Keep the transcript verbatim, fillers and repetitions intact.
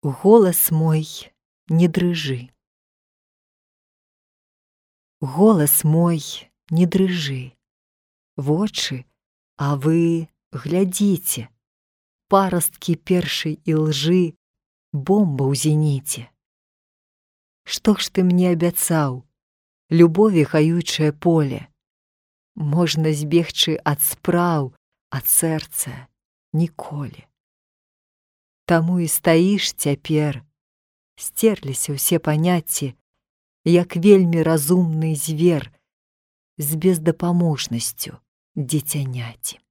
Голас мой, не дрыжы. Голас мой, не дрыжы. Вочы, а вы глядзіце. Парасткі першай ілжы, бомба ў зеніце. Што ж ты мне абяцаў? Любові гаючае поле. Можна збегчы ад спраў, ад сэрца ніколі. Таму і стаіш цяпер, сцерліся ўсе паняцці, як вельмі разумны звер з бездапаможнасцю дзіцяняці.